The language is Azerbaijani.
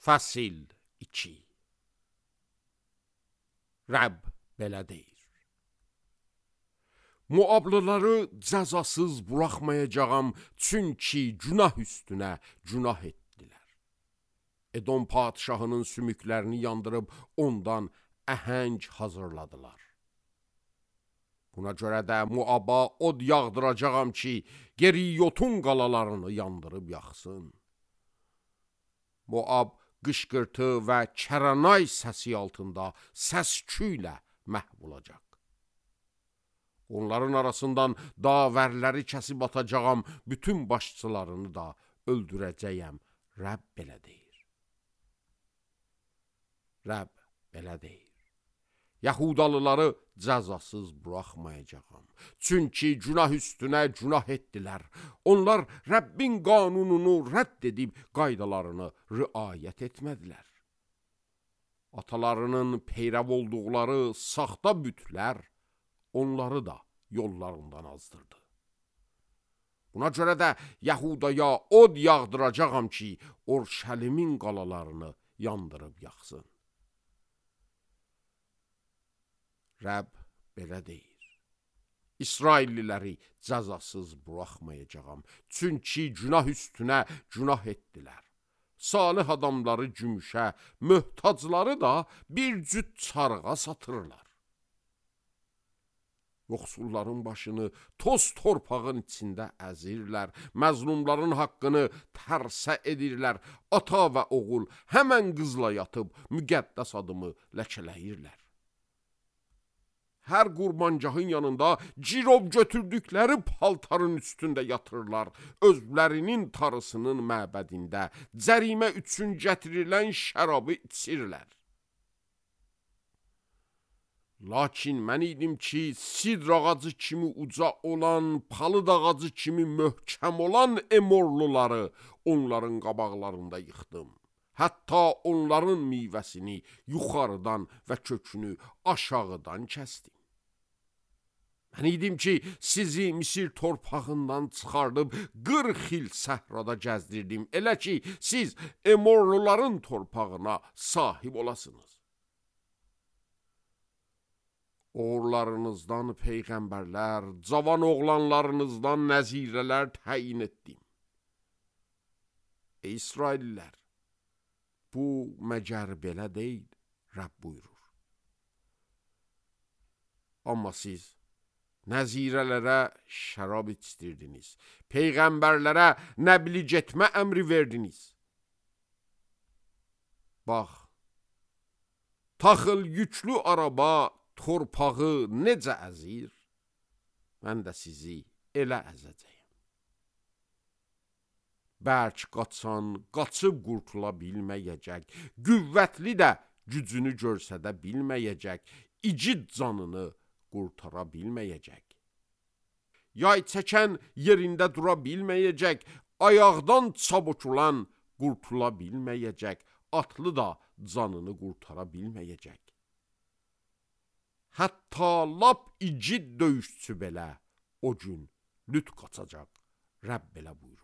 Fəsil 2. Rəbb belə deyir: Muablıları cəzasız buraxmayacağam, çünki günah üstünə günah etdilər. Edom padişahının sümüklərini yandırıb ondan əhəng hazırladılar. Buna görə də Muaba od yağdıracağam ki, Geriyotun qalalarını yandırıb yaxsın. Muab qışqırtı və kəranay səsi altında səs-küylə məhv olacaq. Onların arasından davərləri kəsib atacağam, bütün başçılarını da öldürəcəyəm. Rəbb belə deyir. Rəbb belə deyir: Yahudalıları cəzasız buraxmayacağam. Çünki günah üstünə günah etdilər. Onlar Rəbbin qanununu rədd edib qaydalarını riayət etmədilər. Atalarının peyrəv olduqları saxta bütlər onları da yollarından azdırdı. Buna görə də Yahudaya od yağdıracağam ki, Orşəlimin qalalarını yandırıb yaxsın. Rəbb belə deyir: İsrailliləri cəzasız buraxmayacağam, çünki günah üstünə günah etdilər. Salih adamları gümüşə, möhtacları da bir cüt çarığa satırlar. Yoxsulların başını toz torpağın içində əzirlər, məzlumların haqqını tərsə edirlər, ata və oğul həmən qızla yatıb müqəddəs adımı ləkələyirlər. Hər qurbancahın yanında cirov götürdükləri paltarın üstündə yatırlar, özlərinin tarısının məbədində cərimə üçün gətirilən şərabı içirlər. Lakin mən idim ki, sidr ağacı kimi uca olan, palıd ağacı kimi möhkəm olan Emorluları onların qabaqlarında yıxdım. Hətta onların meyvəsini yuxarıdan və kökünü aşağıdan kəsdim. Mən idim ki, sizi Misir torpağından çıxardıb 40 il səhrada gəzdirdim, elə ki, siz Emorluların torpağına sahib olasınız. Oğullarınızdan peyğəmbərlər, cavan oğlanlarınızdan nəzirələr təyin etdim. Ey İsraillilər, bu məgər belə deyil, Rəbb buyurur. Amma siz nəzirələrə şərab içdirdiniz, peyğəmbərlərə nəbli getmə əmri verdiniz. Bax, taxıl yüklü araba torpağı necə əzir, mən də sizi elə əzəcəyim. Bərk qaçan qaçıb qurtula bilməyəcək, qüvvətli də gücünü görsədə bilməyəcək, igid canını qurtara bilməyəcək. Yay çəkən yerində dura bilməyəcək, ayaqdan çabukulan qurtula bilməyəcək, atlı da canını qurtara bilməyəcək. Hətta lap igid döyüşçü belə o gün lüt qaçacaq, Rəbb belə buyurur.